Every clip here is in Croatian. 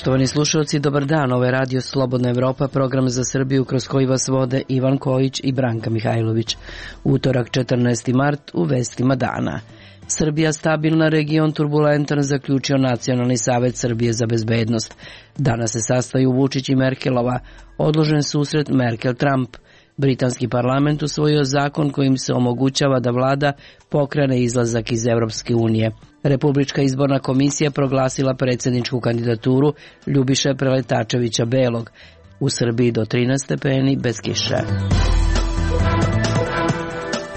Poštovani slušalci, dobar dan. Ovo je Radio Slobodna Evropa, program za Srbiju kroz koji vas vode Ivan Kojić i Branka Mihajlović. Utorak 14. mart u vestima dana. Srbija stabilna, region turbulentan, zaključio Nacionalni savet Srbije za bezbednost. Danas se sastaju Vučić i Merkelova. Odložen susret Merkel-Trump. Britanski parlament usvojio zakon kojim se omogućava da vlada pokrene izlazak iz Evropske unije. Republička izborna komisija proglasila predsjedničku kandidaturu Ljubiše Preletačevića Belog. U Srbiji do 13 stepeni bez kiše.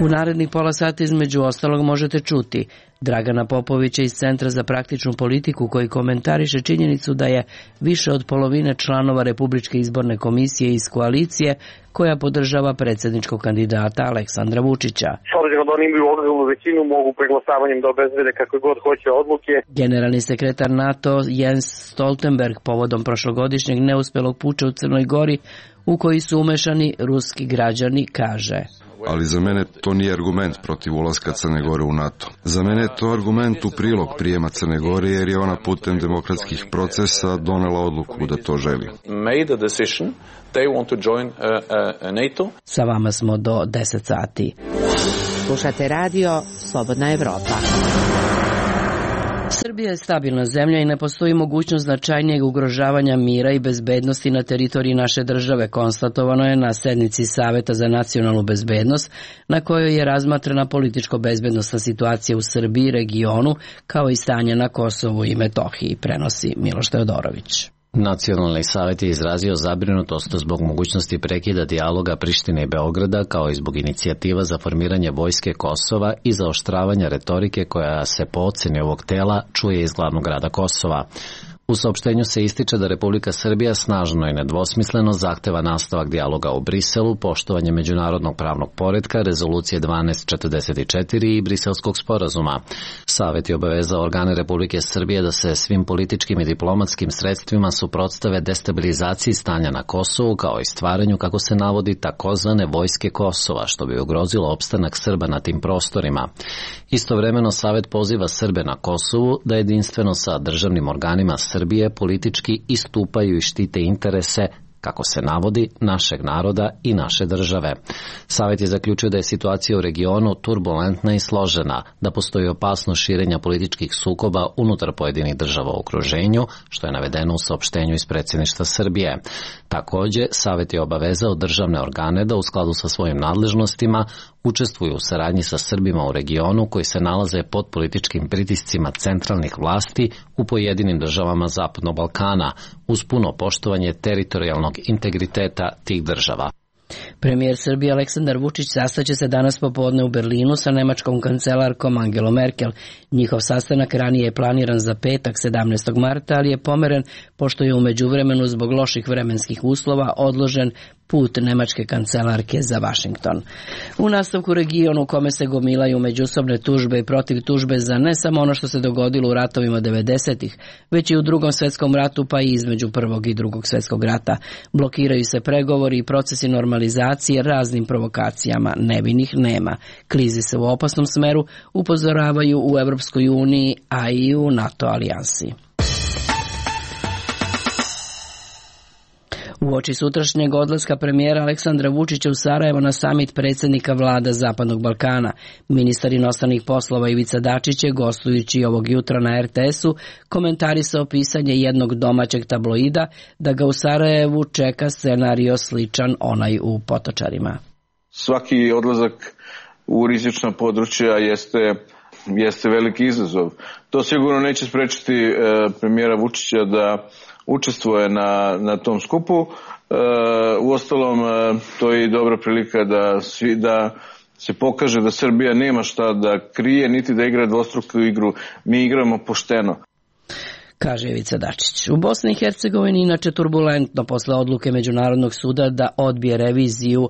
U narednih pola sata između ostalog možete čuti Dragana Popovića iz Centra za praktičnu politiku koji komentariše činjenicu da je više od polovine članova Republičke izborne komisije iz koalicije koja podržava predsjedničkog kandidata Aleksandra Vučića. S obzirom da oni imaju ogromnu većinu, mogu preglasavanjem da obezbede kakve god hoće odluke. Generalni sekretar NATO Jens Stoltenberg povodom prošlogodišnjeg neuspelog puča u Crnoj Gori u koji su umešani ruski građani kaže: Ali za mene to nije argument protiv ulaska Crne Gore u NATO. Za mene je to argument u prilog prijema Crne Gore jer je ona putem demokratskih procesa donela odluku da to želi. Sa vama smo do 10 sati. Slušate radio Slobodna Evropa. Srbija je stabilna zemlja i ne postoji mogućnost značajnijeg ugrožavanja mira i bezbednosti na teritoriji naše države, konstatovano je na sednici Saveta za nacionalnu bezbednost, na kojoj je razmatrana političko-bezbednosna situacija u Srbiji, regionu, kao i stanje na Kosovu i Metohiji, prenosi Miloš Teodorović. Nacionalni savet je izrazio zabrinutost zbog mogućnosti prekida dijaloga Prištine i Beograda, kao i zbog inicijativa za formiranje vojske Kosova i zaoštravanja retorike koja se po oceni ovog tela čuje iz glavnog grada Kosova. U saopštenju se ističe da Republika Srbija snažno i nedvosmisleno zahteva nastavak dijaloga u Briselu, poštovanje međunarodnog pravnog poretka, rezolucije 1244 i Briselskog sporazuma. Savet je obavezao organe Republike Srbije da se svim političkim i diplomatskim sredstvima suprotstave destabilizaciji stanja na Kosovu, kao i stvaranju, kako se navodi, takozvane vojske Kosova, što bi ugrozilo opstanak Srba na tim prostorima. Istovremeno Savet poziva Srbe na Kosovu da jedinstveno sa državnim organima Srbije politički istupaju i štite interese, kako se navodi, našeg naroda i naše države. Savet je zaključio da je situacija u regionu turbulentna i složena, da postoji opasnost širenja političkih sukoba unutar pojedinih država u okruženju, što je navedeno u saopštenju iz predsjedništva Srbije. Također, Savet je obavezao državne organe da u skladu sa svojim nadležnostima učestvuju u saradnji sa Srbima u regionu koji se nalaze pod političkim pritiscima centralnih vlasti u pojedinim državama Zapadnog Balkana, uz puno poštovanje teritorijalnog integriteta tih država. Premijer Srbije Aleksandar Vučić sastaće se danas popodne u Berlinu sa nemačkom kancelarkom Angelom Merkel. Njihov sastanak ranije je planiran za petak 17. marta, ali je pomeren pošto je u međuvremenu zbog loših vremenskih uslova odložen put nemačke kancelarke za Vašington. U nastavku regionu u kome se gomilaju međusobne tužbe i protiv tužbe za ne samo ono što se dogodilo u ratovima 90-ih, već i u Drugom svjetskom ratu pa i između Prvog i Drugog svjetskog rata. Blokiraju se pregovori i procesi normalizacije raznim provokacijama. Nevinih nema. Klizi se u opasnom smeru, upozoravaju u Evropskoj uniji, a i u NATO alijansi. Uoči sutrašnjeg odlaska premijera Aleksandra Vučića u Sarajevo na samit predsjednika vlada Zapadnog Balkana, ministar inostranih poslova Ivica Dačić je, gostujući ovog jutra na RTS-u, komentarisao pisanje jednog domaćeg tabloida da ga u Sarajevu čeka scenario sličan onaj u Potočarima. Svaki odlazak u rizična područja jeste veliki izazov. To sigurno neće sprečiti premijera Vučića da učestvuje na tom skupu. Uostalom, to je i dobra prilika da se pokaže da Srbija nema šta da krije, niti da igra dvostruku igru. Mi igramo pošteno, kaže Ivica Dačić. U Bosni i Hercegovini inače turbulentno posle odluke Međunarodnog suda da odbije reviziju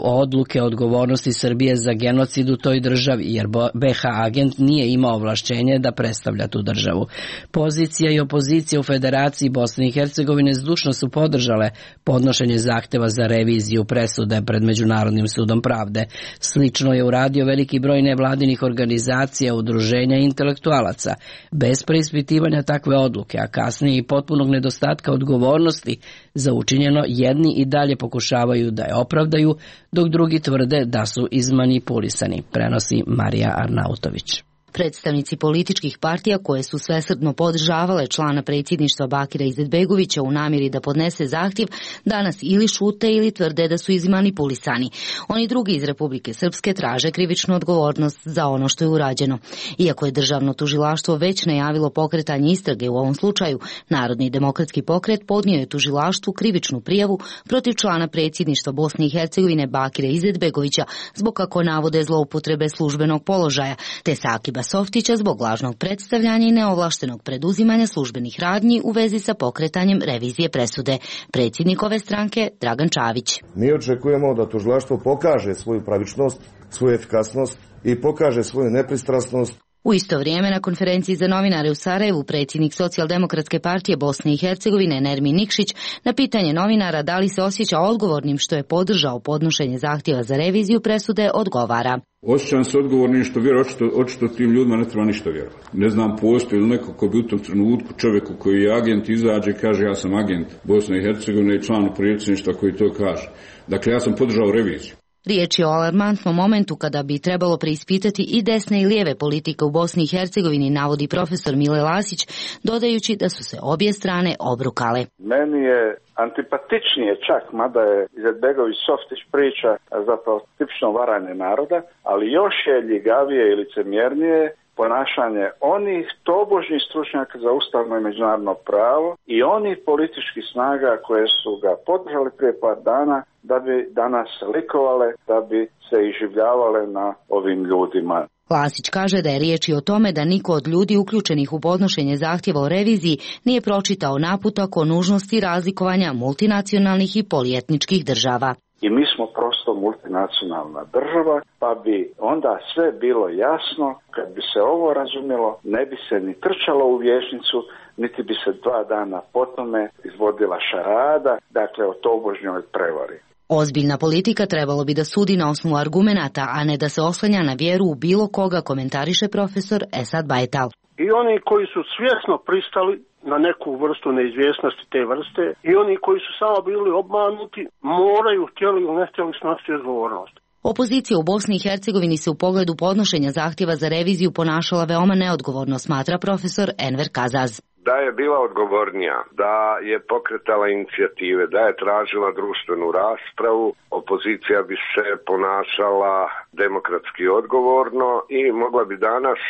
odluke odgovornosti Srbije za genocid u toj državi, jer BiH agent nije imao ovlašćenje da predstavlja tu državu. Pozicija i opozicija u Federaciji Bosne i Hercegovine zdušno su podržale podnošenje zahteva za reviziju presude pred Međunarodnim sudom pravde. Slično je uradio veliki broj nevladinih organizacija, udruženja i intelektualaca. Bez preispitivanja takve odluke, a kasnije i potpunog nedostatka odgovornosti za učinjeno, jedni i dalje pokušavaju da je opravdaju, dok drugi tvrde da su izmanipulisani, prenosi Marija Arnautović. Predstavnici političkih partija koje su svesrdno podržavale člana predsjedništva Bakira Izetbegovića u namjeri da podnese zahtjev, danas ili šute ili tvrde da su izmanipulisani. Oni drugi iz Republike Srpske traže krivičnu odgovornost za ono što je urađeno. Iako je državno tužilaštvo već najavilo pokretanje istrage u ovom slučaju, Narodni demokratski pokret podnio je tužilaštvu krivičnu prijavu protiv člana predsjedništva Bosne i Hercegovine Bakira Izetbegovića zbog, kako navode, zloupotrebe službenog položaja, te Sakiba Softića zbog lažnog predstavljanja i neovlaštenog preduzimanja službenih radnji u vezi sa pokretanjem revizije presude. Predsjednik ove stranke Dragan Čavić. Mi očekujemo da tužilaštvo pokaže svoju pravičnost, svoju efikasnost i pokaže svoju nepristrasnost. U isto vrijeme na konferenciji za novinare u Sarajevu predsjednik Socijaldemokratske partije Bosne i Hercegovine Nermin Nikšić na pitanje novinara da li se osjeća odgovornim što je podržao podnošenje zahtjeva za reviziju presude odgovara. Osjećam se odgovornim što vjerujem, očito tim ljudima ne treba ništa vjerovati. Ne znam, postoji li neko ko bi u tom trenutku čovjeku koji je agent izađe i kaže ja sam agent Bosne i Hercegovine i član predsjedništva koji to kaže. Dakle, ja sam podržao reviziju. Riječ je o alarmantnom momentu kada bi trebalo preispitati i desne i lijeve politike u Bosni i Hercegovini, navodi profesor Mile Lasić, dodajući da su se obje strane obrukale. Meni je antipatičnije čak, mada je Izetbegović Softić priča zapravo tipično varanje naroda, ali još je ljigavije i licemjernije ponašanje onih tobožnjih stručnjaka za ustavno i međunarodno pravo i onih političkih snaga koje su ga podržali prije par dana da bi danas likovale, da bi se iživljavale na ovim ljudima. Lasić kaže da je riječ i o tome da niko od ljudi uključenih u podnošenje zahtjeva o reviziji nije pročitao naputak o nužnosti razlikovanja multinacionalnih i polietničkih država. I mi smo prosto multinacionalna država, pa bi onda sve bilo jasno. Kad bi se ovo razumjelo, ne bi se ni trčalo u vijećnicu, niti bi se 2 dana potome izvodila šarada, dakle o tobožnjoj prevari. Ozbiljna politika trebalo bi da sudi na osnovu argumenata, a ne da se oslanja na vjeru u bilo koga, komentariše profesor Esad Bajtal. I oni koji su svjesno pristali na neku vrstu neizvjesnosti te vrste i oni koji su samo bili obmanuti moraju, htjeli ili ne htjeli, snositi odgovornost. Opozicija u Bosni i Hercegovini se u pogledu podnošenja zahtjeva za reviziju ponašala veoma neodgovorno, smatra profesor Enver Kazaz. Da je bila odgovornija, da je pokretala inicijative, da je tražila društvenu raspravu, opozicija bi se ponašala demokratski odgovorno i mogla bi danas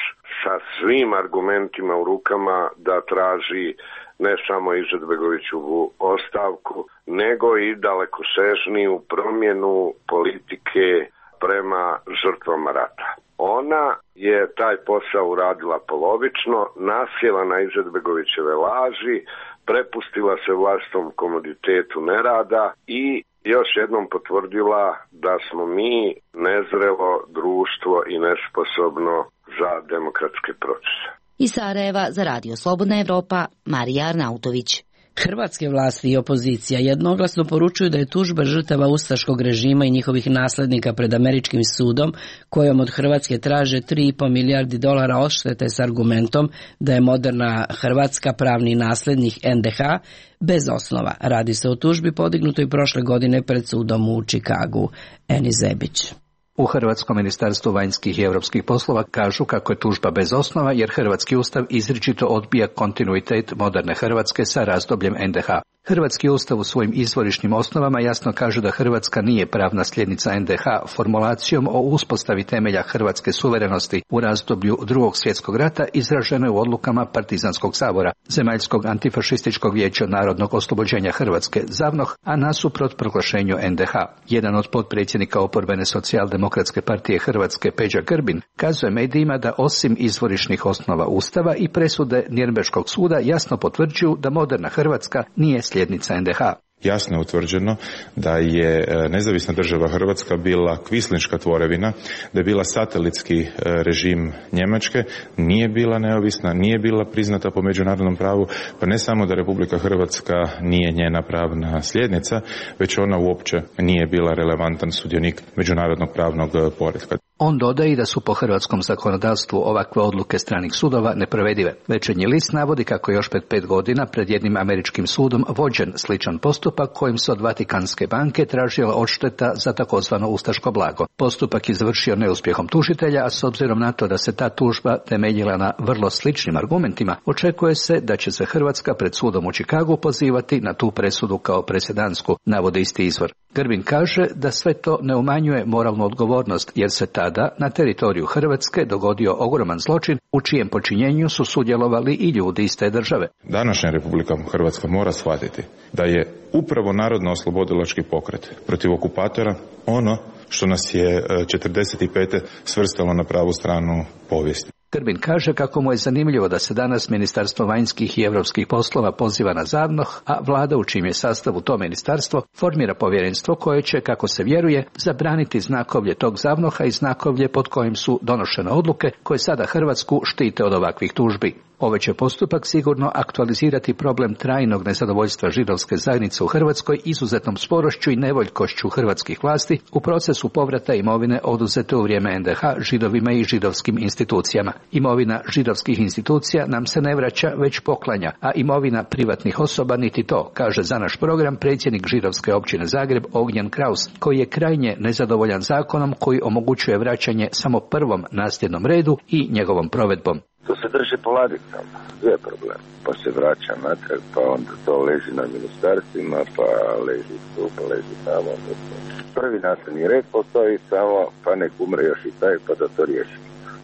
sa svim argumentima u rukama da traži ne samo Izetbegovićevu ostavku, nego i dalekosežniju promjenu politike prema žrtvama rata. Ona je taj posao uradila polovično, nasjela na Izetbegovićeve laži, prepustila se vlastitom komoditetu nerada i još jednom potvrdila da smo mi nezrelo društvo i nesposobno za demokratske procese. Iz Sarajeva za Radio Slobodna Evropa, Marija Arnautović. Hrvatske vlasti i opozicija jednoglasno poručuju da je tužba žrtava ustaškog režima i njihovih naslednika pred američkim sudom, kojom od Hrvatske traže $3,5 milijardi odštete s argumentom da je moderna Hrvatska pravni naslednik NDH, bez osnova. Radi se o tužbi podignutoj prošle godine pred sudom u Čikagu. Eni Zebić. U Hrvatskom ministarstvu vanjskih i europskih poslova kažu kako je tužba bez osnova jer Hrvatski ustav izričito odbija kontinuitet moderne Hrvatske sa razdobljem NDH. Hrvatski ustav u svojim izvorišnim osnovama jasno kaže da Hrvatska nije pravna sljednica NDH formulacijom o uspostavi temelja hrvatske suverenosti u razdoblju Drugog svjetskog rata izražene u odlukama Partizanskog sabora, Zemaljskog antifašističkog vijeća narodnog oslobođenja Hrvatske ZAVNOH, a nasuprot proglašenju NDH. Jedan od potpredsjednika oporbene Socijaldemokratske partije Hrvatske, Peđa Grbin, kazuje medijima da osim izvorišnih osnova ustava i presude Nirnberškog suda jasno potvrđuju da moderna Hrvatska nije sljednica NDH. Jasno je utvrđeno da je nezavisna država Hrvatska bila kvislinška tvorevina, da je bila satelitski režim Njemačke, nije bila neovisna, nije bila priznata po međunarodnom pravu, pa ne samo da Republika Hrvatska nije njena pravna sljednica, već ona uopće nije bila relevantan sudionik međunarodnog pravnog poretka. On dodaje da su po hrvatskom zakonodavstvu ovakve odluke stranih sudova neprovedive. Večernji list navodi kako je još pred 5 godina pred jednim američkim sudom vođen sličan postupak kojim se od Vatikanske banke tražila odšteta za takozvano ustaško blago. Postupak je završio neuspjehom tužitelja, a s obzirom na to da se ta tužba temeljila na vrlo sličnim argumentima, očekuje se da će se Hrvatska pred sudom u Čikagu pozivati na tu presudu kao presedansku, navodi isti izvor. Grbin kaže da sve to ne umanjuje moralnu odgovornost, jer se tada na teritoriju Hrvatske dogodio ogroman zločin u čijem počinjenju su sudjelovali i ljudi iz te države. Današnja Republika Hrvatska mora shvatiti da je upravo narodno-oslobodilački pokret protiv okupatora ono što nas je 1945. svrstalo na pravu stranu povijesti. Grbin kaže kako mu je zanimljivo da se danas Ministarstvo vanjskih i europskih poslova poziva na ZAVNOH, a vlada u čijem je sastavu to ministarstvo formira povjerenstvo koje će, kako se vjeruje, zabraniti znakovlje tog ZAVNOH-a i znakovlje pod kojim su donošene odluke koje sada Hrvatsku štite od ovakvih tužbi. Ovaj će postupak sigurno aktualizirati problem trajnog nezadovoljstva židovske zajednice u Hrvatskoj izuzetnom sporošću i nevoljkošću hrvatskih vlasti u procesu povrata imovine oduzete u vrijeme NDH židovima i židovskim institucijama. Imovina židovskih institucija nam se ne vraća, već poklanja, a imovina privatnih osoba niti to, kaže za naš program predsjednik židovske općine Zagreb Ognjen Kraus, koji je krajnje nezadovoljan zakonom koji omogućuje vraćanje samo prvom nasljednom redu i njegovom provedbom. To se drži po ladicama, sve je problem. Pa se vraća natrag, pa onda to leži na ministarstvima, pa leži tu, pa leži tamo. Prvi nasljedni red postoji samo, pa nek umre još i taj, pa da to riješi.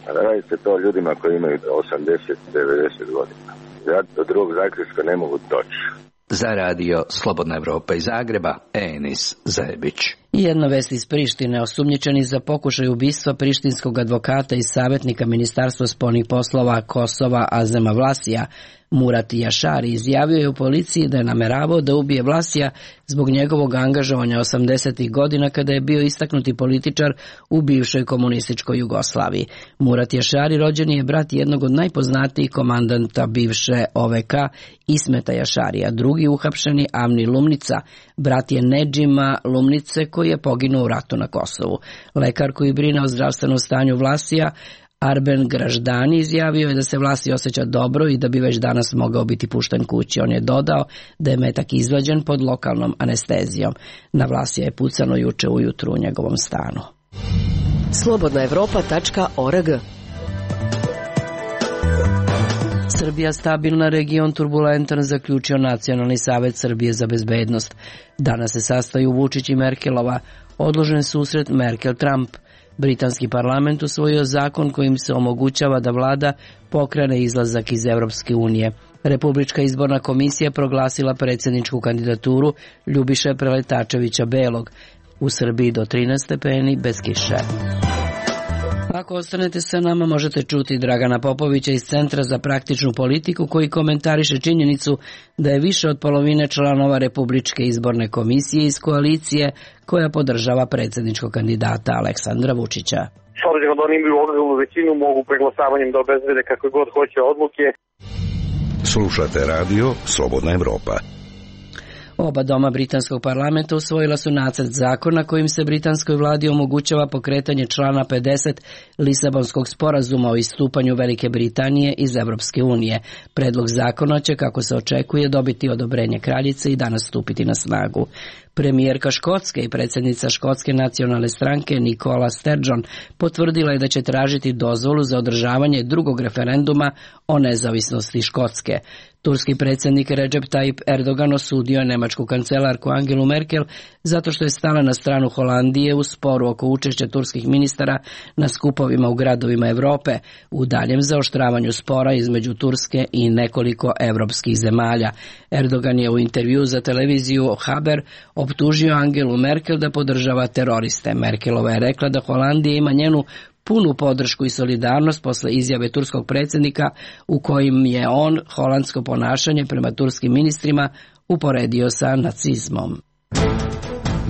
A da radi se to ljudima koji imaju 80-90 godina. Ja do drugog zaključka ne mogu doći. Za radio Slobodna Evropa iz Zagreba, Enis Zajebić. I jedna vest iz Prištine. Osumnjičeni za pokušaj ubistva prištinskog advokata i savjetnika Ministarstva spoljnih poslova Kosova Azema Vlasija, Murat Jašari, izjavio je u policiji da je nameravao da ubije Vlasija zbog njegovog angažovanja 80. godina kada je bio istaknuti političar u bivšoj komunističkoj Jugoslaviji. Murat Jašari rođen je brat jednog od najpoznatijih komandanta bivše OVK Ismeta Jašarija. Drugi uhapšeni Avni Lumnica, brat je Nedžima Lumnice koji je poginuo u ratu na Kosovu. Lekar koji brine o zdravstvenom stanju Vlasija, Arben Graždani, izjavio je da se Vlasij osjeća dobro i da bi već danas mogao biti pušten kući. On je dodao da je metak izvađen pod lokalnom anestezijom. Na Vlasija je pucano juče ujutru u njegovom stanu. slobodnaevropa.org. Srbija stabilna, region turbulentan, zaključio Nacionalni savjet Srbije za bezbednost. Danas se sastaju Vučić i Merkelova. Odložen susret Merkel-Trump. Britanski parlament usvojio zakon kojim se omogućava da vlada pokrene izlazak iz Europske unije. Republička izborna komisija proglasila predsjedničku kandidaturu Ljubiše Preletačevića Belog. U Srbiji do 13 stepeni bez kiše. Ako ostanete sa nama, možete čuti Dragana Popovića iz Centra za praktičnu politiku koji komentariše činjenicu da je više od polovine članova Republičke izborne komisije iz koalicije koja podržava predsjedničkog kandidata Aleksandra Vučića. S obzirom da oni imaju ogromnu većinu, mogu preglasavanjem da obezbede kakve god hoće odluke. Slušate radio Slobodna Evropa. Oba doma britanskog parlamenta usvojila su nacrt zakona kojim se britanskoj vladi omogućava pokretanje člana 50 Lisabonskog sporazuma o istupanju Velike Britanije iz Europske unije. Predlog zakona će, kako se očekuje, dobiti odobrenje kraljice i danas stupiti na snagu. Premijerka Škotske i predsjednica Škotske nacionalne stranke Nicola Sturgeon potvrdila je da će tražiti dozvolu za održavanje drugog referenduma o nezavisnosti Škotske. Turski predsjednik Recep Tayyip Erdogan osudio je nemačku kancelarku Angelu Merkel zato što je stala na stranu Holandije u sporu oko učešća turskih ministara na skupovima u gradovima Europe u daljem zaoštravanju spora između Turske i nekoliko europskih zemalja. Erdogan je u intervju za televiziju Haber optužio Angelu Merkel da podržava teroriste. Merkelova je rekla da Holandija ima njenu punu podršku i solidarnost posle izjave turskog predsjednika u kojim je on holandsko ponašanje prema turskim ministrima uporedio sa nacizmom.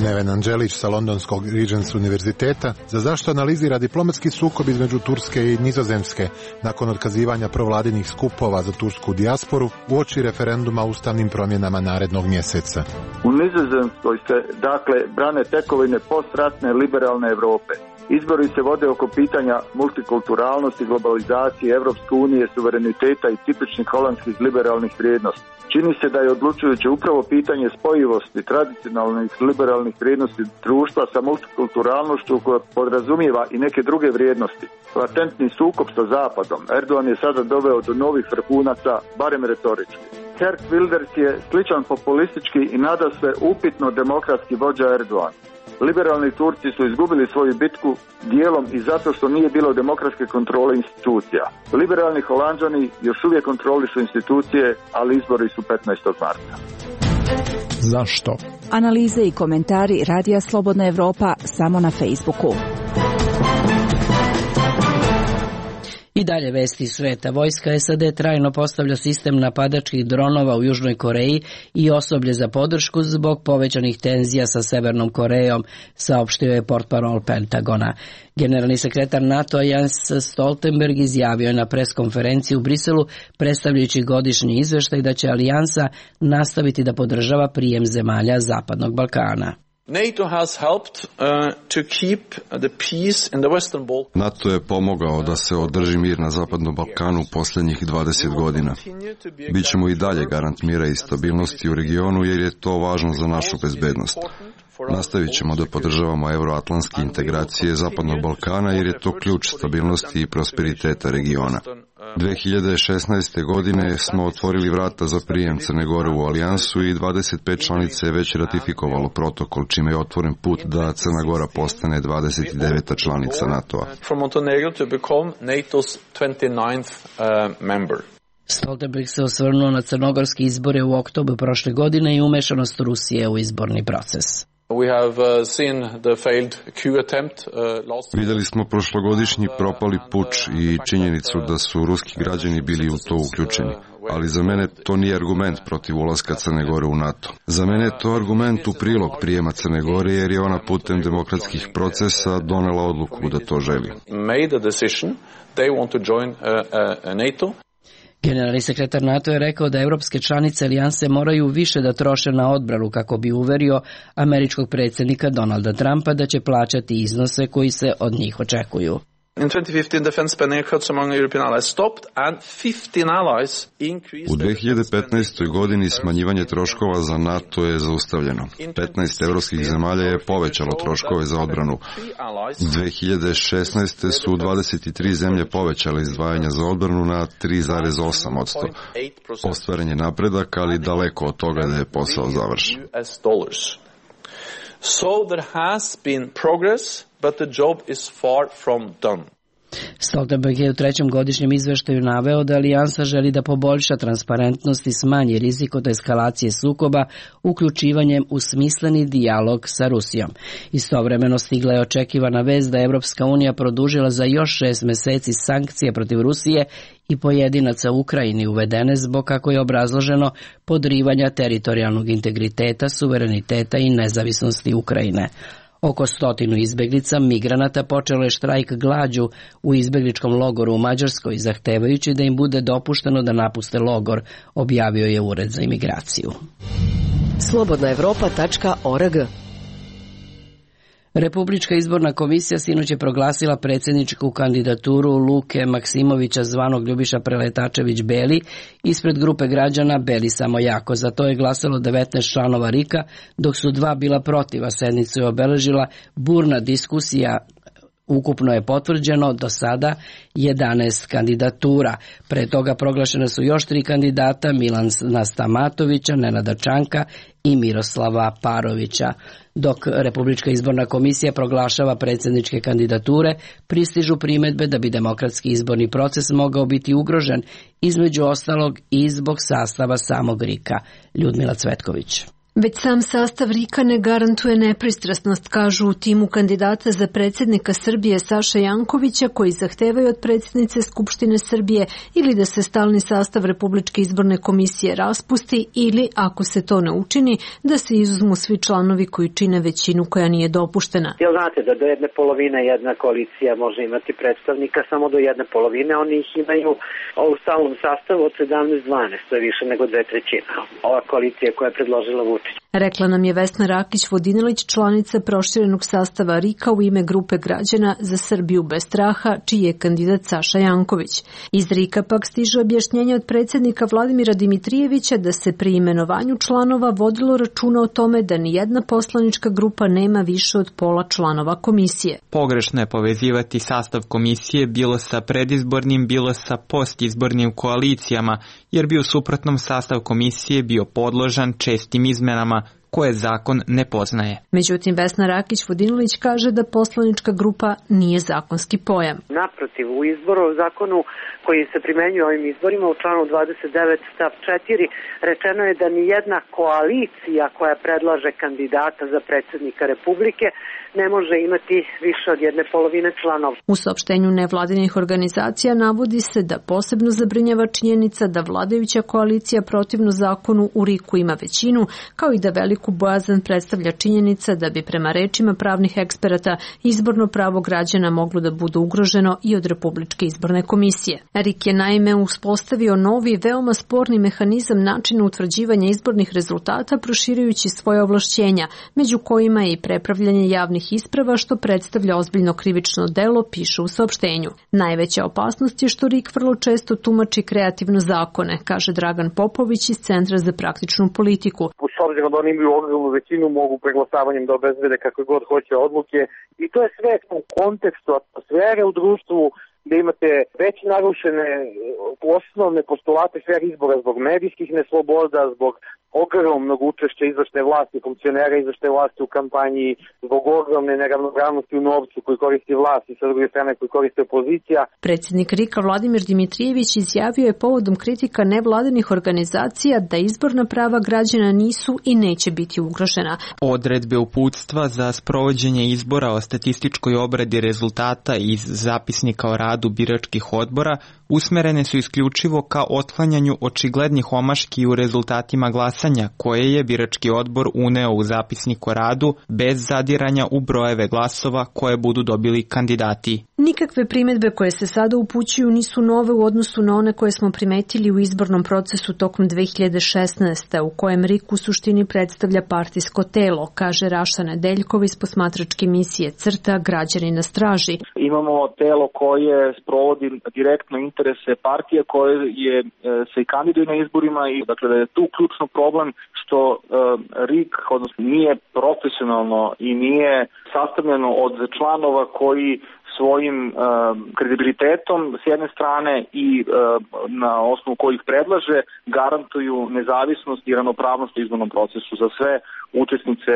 Neven Anđelić sa Londonskog Regents univerziteta za zašto analizira diplomatski sukob između Turske i Nizozemske nakon otkazivanja provladinih skupova za tursku dijasporu uoči referenduma o ustavnim promjenama narednog mjeseca. U Nizozemskoj se dakle brane tekovine postratne liberalne Europe. Izbori se vode oko pitanja multikulturalnosti, globalizacije, Evropske unije, suvereniteta i tipičnih holandskih liberalnih vrijednosti. Čini se da je odlučujuće upravo pitanje spojivosti tradicionalnih liberalnih vrijednosti društva sa multikulturalnošću koja podrazumijeva i neke druge vrijednosti. Latentni sukob sa Zapadom. Erdogan je sada doveo do novih vrhunaca, barem retorički. Geert Wilders je sličan populistički i nadasve upitno demokratski vođa Erdogan. Liberalni Turci su izgubili svoju bitku dijelom i zato što nije bilo demokratske kontrole institucija. Liberalni Holanđani još uvijek kontrolišu institucije, ali izbori su 15. marta. Zašto? Analize i komentari Radija Slobodna Evropa samo na Facebooku. I dalje vesti sveta. Vojska SAD trajno postavlja sistem napadačkih dronova u Južnoj Koreji i osoblje za podršku zbog povećanih tenzija sa Severnom Korejom, saopštio je portparol Pentagona. Generalni sekretar NATO Jens Stoltenberg izjavio je na preskonferenciji u Briselu, predstavljajući godišnji izveštaj, da će alijansa nastaviti da podržava prijem zemalja Zapadnog Balkana. NATO je pomogao da se održi mir na Zapadnom Balkanu posljednjih 20 godina. Bićemo i dalje garant mira i stabilnosti u regionu jer je to važno za našu bezbednost. Nastavit ćemo da podržavamo euroatlantske integracije Zapadnog Balkana jer je to ključ stabilnosti i prosperiteta regiona. 2016. godine smo otvorili vrata za prijem Crne Gore u alijansu i 25 članica je već ratifikovalo protokol, čime je otvoren put da Crna Gora postane 29. članica NATO-a. Stoltenberg se osvrnuo na crnogorske izbore u oktobru prošle godine i umešanost Rusije u izborni proces. Vidjeli smo prošlogodišnji propali puč i činjenicu da su ruski građani bili u to uključeni. Ali za mene to nije argument protiv ulaska Crne Gore u NATO. Za mene je to argument u prilog prijema Crne Gore jer je ona putem demokratskih procesa donela odluku da to želi. Generalni sekretar NATO je rekao da evropske članice alijanse moraju više da troše na odbranu kako bi uverio američkog predsjednika Donalda Trumpa da će plaćati iznose koji se od njih očekuju. U 2015. godini smanjivanje troškova za NATO je zaustavljeno. 15 evropskih zemalja je povećalo troškove za odbranu. 2016. su 23 zemlje povećale izdvajanja za odbranu na 3,8%. Ostvaren je napredak, ali daleko od toga da je posao završen. So there has been progress, but the job is far from done. Stoltenberg je u trećem godišnjem izveštaju naveo da alijansa želi da poboljša transparentnost i smanji rizik od eskalacije sukoba uključivanjem u smisleni dijalog sa Rusijom. Istovremeno stigla je očekivana vest da je Evropska unija produžila za još 6 meseci sankcije protiv Rusije i pojedinaca u Ukrajini uvedene zbog, kako je obrazloženo, podrivanja teritorijalnog integriteta, suvereniteta i nezavisnosti Ukrajine. Oko 100 izbeglica migranata počelo je štrajk glađu u izbegličkom logoru u Mađarskoj, zahtevajući da im bude dopušteno da napuste logor, objavio je Ured za imigraciju. Slobodnaevropa.org. Republička izborna komisija sinoć je proglasila predsjedničku kandidaturu Luke Maksimovića zvanog Ljubiša Preletačević Beli ispred grupe građana Beli samo jako. Za to je glasalo 19 članova RIK-a, dok su 2 bila protiv, a sednicu je obeležila burna diskusija. Ukupno je potvrđeno do sada 11 kandidatura. Pre toga proglašene su još 3 kandidata, Milana Stamatovića, Nenada Čanka i Miroslava Parovića. Dok Republička izborna komisija proglašava predsjedničke kandidature, pristižu primjedbe da bi demokratski izborni proces mogao biti ugrožen, između ostalog i zbog sastava samog RIK-a. Ljudmila Cvetković. Već sam sastav RIK-a ne garantuje nepristrasnost, kažu u timu kandidata za predsjednika Srbije Saše Jankovića, koji zahtevaju od predsjednice Skupštine Srbije ili da se stalni sastav Republičke izborne komisije raspusti ili, ako se to ne učini, da se izuzmu svi članovi koji čine većinu koja nije dopuštena. Jel znate da do jedne polovine jedna koalicija može imati predstavnika, samo do jedne polovine, oni ih imaju u stalnom sastavu od 17-12, to je više nego 2/3. Ova koalicija koja je predložila Vučić. Rekla nam je Vesna Rakić-Vodinelić, članica proširenog sastava RIK-a u ime grupe građana za Srbiju bez straha, čiji je kandidat Saša Janković. Iz RIK-a pak stiže objašnjenje od predsjednika Vladimira Dimitrijevića da se pri imenovanju članova vodilo računa o tome da nijedna poslanička grupa nema više od pola članova komisije. Pogrešno je povezivati sastav komisije bilo sa predizbornim, bilo sa postizbornim koalicijama, jer bi u suprotnom sastav komisije bio podložan čestim izmenama koje zakon ne poznaje. Međutim, Vesna Rakić-Vodinelić kaže da poslanička grupa nije zakonski pojam. Naprotiv, u zakonu koji se primenjuje ovim izborima u članu 29 stav 4 rečeno je da nijedna koalicija koja predlaže kandidata za predsjednika Republike ne može imati više od jedne polovine članova. U saopštenju nevladinih organizacija navodi se da posebno zabrinjava činjenica da vladajuća koalicija protivno zakonu u RIK-u ima većinu, kao i da veliku bojazan predstavlja činjenica da bi prema rečima pravnih eksperata izborno pravo građana moglo da bude ugroženo i od Republičke izborne komisije. RIK je naime uspostavio novi, veoma sporni mehanizam načina utvrđivanja izbornih rezultata, proširujući svoje ovlašćenja, među kojima je i prepravljanje javnih isprava, što predstavlja ozbiljno krivično delo, piše u saopštenju. Najveća opasnost je što RIK vrlo često tumači kreativno zakone, kaže Dragan Popović iz Centra za praktičnu politiku. S obzirom da oni imaju ogromnu većinu, mogu preglasavanjem da obezbede kakve god hoće odluke i to je sve u kontekstu atmosfere u društvu, gde imate već narušene osnovne postulate fer izbora zbog medijskih nesloboda, zbog ogromnog učešća izvršne vlasti, funkcionera izvršne vlasti u kampanji, zbog ogromne neravnopravnosti u novcu koji koristi vlast i sa druge strane koji koristi opozicija. Predsjednik RIK-a Vladimir Dimitrijević izjavio je povodom kritika nevladinih organizacija da izborna prava građana nisu i neće biti ugrožena. Odredbe uputstva za sprovođenje izbora o statističkoj obradi rezultata iz zapisnika o radu biračkih odbora usmerene su isključivo ka otklanjanju očiglednih omaški u rezultatima glasanja koje je birački odbor uneo u zapisnik o radu bez zadiranja u brojeve glasova koje budu dobili kandidati. Nikakve primjedbe koje se sada upućuju nisu nove u odnosu na one koje smo primetili u izbornom procesu tokom 2016. u kojem RIK u suštini predstavlja partijsko telo, kaže Raša Nedeljkov iz posmatračke misije CRTA Građani na straži. Imamo telo koje sprovodi direktno interese partije koje se i kandiduje na izborima i dakle da je tu ključno problem što RIK odnosno nije profesionalno i nije sastavljeno od članova koji svojim kredibilitetom s jedne strane i na osnovu kojih predlaže garantuju nezavisnost i ravnopravnost u izbornom procesu za sve učesnice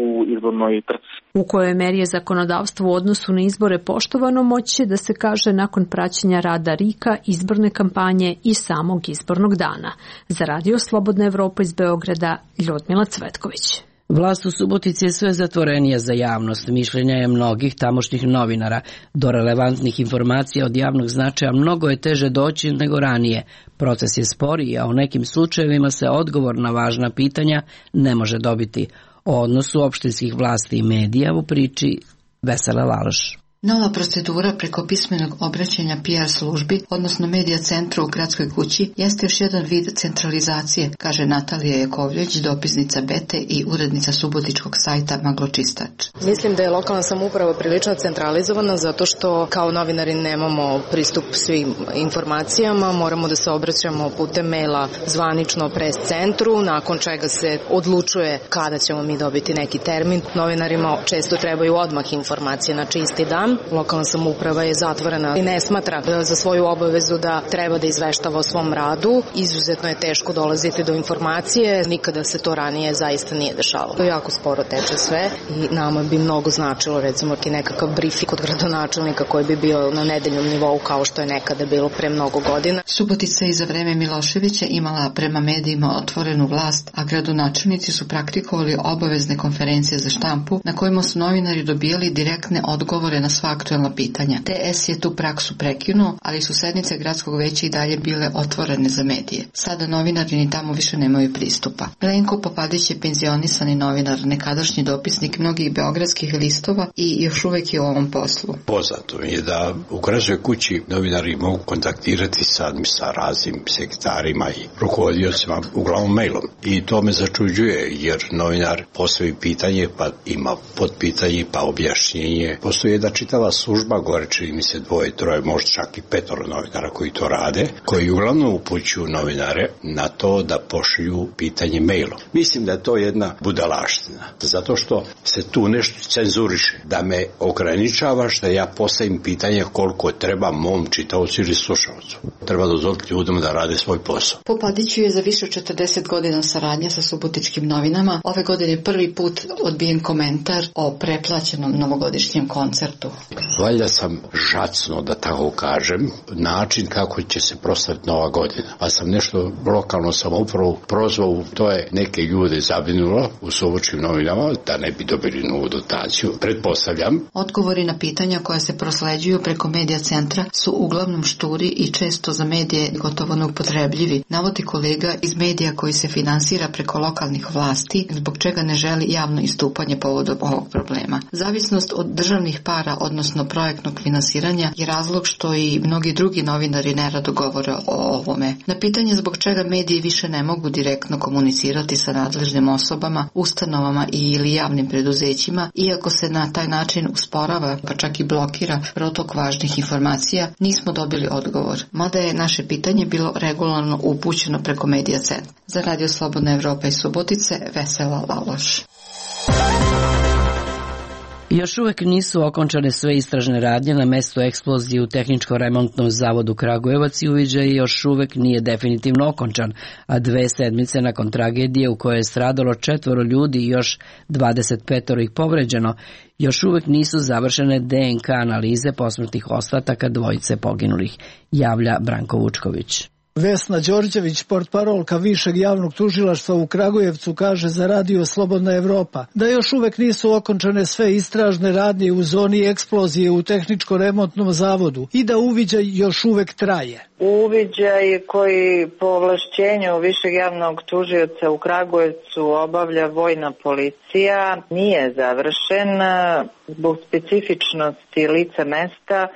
u izbornoj trci. U kojoj meri je zakonodavstvo u odnosu na izbore poštovano moći će da se kaže nakon praćenja rada RIK-a, izborne kampanje i samog izbornog dana. Za Radio Slobodna Evropa iz Beograda, Ljudmila Cvetković. Vlast u Subotici je sve zatvorenija za javnost. Mišljenja je mnogih tamošnjih novinara. Do relevantnih informacija od javnog značaja mnogo je teže doći nego ranije. Proces je sporiji, a u nekim slučajevima se odgovor na važna pitanja ne može dobiti. O odnosu opštinskih vlasti i medija u priči Vesela Laloš. Nova procedura preko pismenog obraćanja PR službi, odnosno medija centru u gradskoj kući, jeste još jedan vid centralizacije, kaže Natalija Jakovljević, dopisnica Bete i urednica subotičkog sajta Magločistač. Mislim da je lokalna samouprava prilično centralizovana zato što kao novinari nemamo pristup svim informacijama, moramo da se obraćamo putem maila zvanično pres centru, nakon čega se odlučuje kada ćemo mi dobiti neki termin. Novinarima često trebaju odmah informacije, znači isti dan. znam. Lokalna samouprava je zatvorena i ne smatra za svoju obavezu da treba da izveštava o svom radu. Izuzetno je teško dolaziti do informacije. Nikada se to ranije zaista nije dešavalo. Jako sporo teče sve i nama bi mnogo značilo recimo i nekakav briefing od gradonačelnika koji bi bio na nedeljnom nivou kao što je nekada bilo pre mnogo godina. Subotica je za vreme Miloševića imala prema medijima otvorenu vlast, a gradonačelnici su praktikovali obavezne konferencije za štampu na kojima su novinari dobijali direktne odgovore na sva aktuelna pitanja. TS je tu praksu prekinuo, ali su sednice gradskog veća i dalje bile otvorene za medije. Sada novinari ni tamo više nemaju pristupa. Milenko Popadić je penzionisani novinar, nekadašnji dopisnik mnogih beogradskih listova i još uvek je u ovom poslu. Poznato mi je da u Gradskoj kući novinari mogu kontaktirati sa raznim sekretarima i rukovodiocima uglavnom mailom. I to me začuđuje jer novinar postavi pitanje pa ima podpitanje pa objašnjenje. Postoji jedna čitava služba, gore čini mi se 2, 3, možda čak i 5 novinara koji to rade, koji uglavnom upućuju novinare na to da pošalju pitanje mailom. Mislim da je to jedna budalaština, zato što se tu nešto cenzuriše, da me ograničavaš da ja postavim pitanje koliko treba mom čitaocu ili slušalcu. Treba dozvoliti ljudima da rade svoj posao. Popadiću je za više od 40 godina saradnja sa subotičkim novinama. Ove godine prvi put odbijen komentar o preplaćenom novogodišnjem koncertu. Valjda sam žacno, da tako kažem, način kako će se proslaviti Nova godina. Pa sam nešto lokalno samoupravu prozvao, to je neke ljude zabrinulo u subotičkim novinama da ne bi dobili novu dotaciju. Pretpostavljam. Odgovori na pitanja koja se prosleđuju preko medija centra su uglavnom šturi i često za medije gotovo neupotrebljivi, navodi kolega iz medija koji se finansira preko lokalnih vlasti, zbog čega ne želi javno istupanje povodom ovog problema. Zavisnost od državnih para, odnosno projektnog finansiranja, je razlog što i mnogi drugi novinari nerado govore o ovome. Na pitanje zbog čega mediji više ne mogu direktno komunicirati sa nadležnim osobama, ustanovama ili javnim preduzećima, iako se na taj način usporava, pa čak i blokira protok važnih informacija, nismo dobili odgovor. Mada je naše pitanje bilo regularno upućeno preko medija centra. Za Radio Slobodna Evropa iz Subotice, Vesela Laloš. Još uvek nisu okončane sve istražne radnje na mestu eksplozije u Tehničko-remontnom zavodu Kragujevac i uviđaj još uvek nije definitivno okončan, a 2 sedmice nakon tragedije u kojoj je stradalo 4 ljudi i još 25 ih povređeno, još uvek nisu završene DNK analize posmrtnih ostataka 2 poginulih, javlja Branko Vučković. Vesna Đorđević, portparolka Višeg javnog tužilaštva u Kragujevcu, kaže za Radio Slobodna Evropa da još uvek nisu okončane sve istražne radnje u zoni eksplozije u Tehničko-remontnom zavodu i da uviđaj još uvek traje. Uviđaj koji po ovlašćenju Višeg javnog tužioca u Kragujevcu obavlja vojna policija nije završen zbog specifičnosti lica mesta,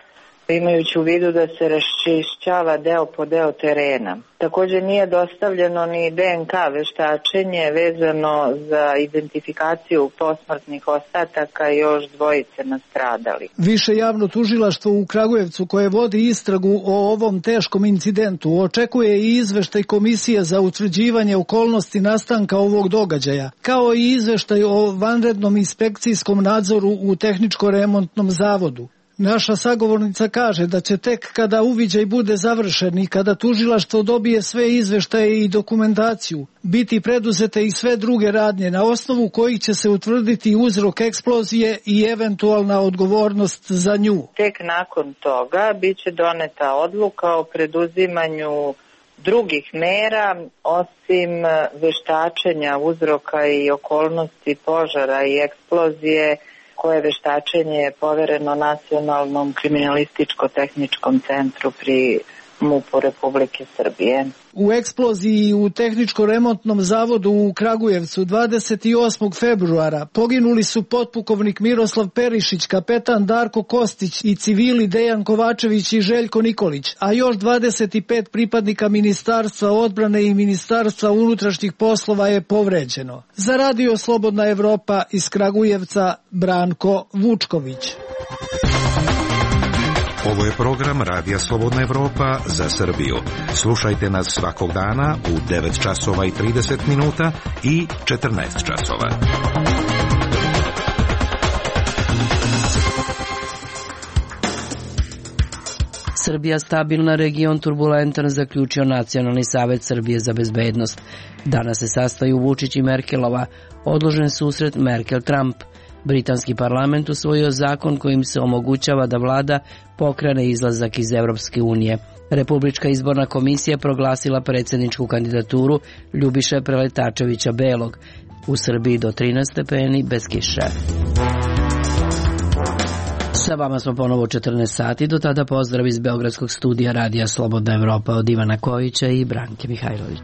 imajući u vidu da se raščišćava deo po deo terena. Također nije dostavljeno ni DNK veštačenje vezano za identifikaciju posmrtnih ostataka i još 2 nastradali. Više javno tužilaštvo u Kragujevcu koje vodi istragu o ovom teškom incidentu očekuje i izveštaj Komisije za utvrđivanje okolnosti nastanka ovog događaja, kao i izveštaj o vanrednom inspekcijskom nadzoru u Tehničko-remontnom zavodu. Naša sagovornica kaže da će tek kada uviđaj bude završen i kada tužilaštvo dobije sve izveštaje i dokumentaciju, biti preduzete i sve druge radnje na osnovu kojih će se utvrditi uzrok eksplozije i eventualna odgovornost za nju. Tek nakon toga biće doneta odluka o preduzimanju drugih mera, osim veštačenja uzroka i okolnosti požara i eksplozije, koje veštačenje je povereno Nacionalnom kriminalističko-tehničkom centru pri MUP-u Republike Srbije. U eksploziji u Tehničko-remontnom zavodu u Kragujevcu 28. februara poginuli su potpukovnik Miroslav Perišić, kapetan Darko Kostić i civili Dejan Kovačević i Željko Nikolić, a još 25 pripadnika Ministarstva odbrane i Ministarstva unutrašnjih poslova je povređeno. Za Radio Slobodna Evropa iz Kragujevca, Branko Vučković. Ovo je program Radija Slobodna Evropa za Srbiju. Slušajte nas svakog dana u 9 časova i 30 minuta i 14 časova. Srbija stabilna, region turbulentan, zaključio Nacionalni savet Srbije za bezbednost. Danas se sastaju Vučić i Merkelova. Odložen susret Merkel-Trump. Britanski parlament usvojio zakon kojim se omogućava da vlada pokrene izlazak iz Evropske unije. Republička izborna komisija proglasila predsjedničku kandidaturu Ljubiše Preletačevića Belog. U Srbiji do 13 stepeni bez kiše. Sa vama smo ponovo u 14 sati, do tada pozdrav iz Beogradskog studija Radija Slobodna Evropa od Ivana Kojića i Branke Mihajlović.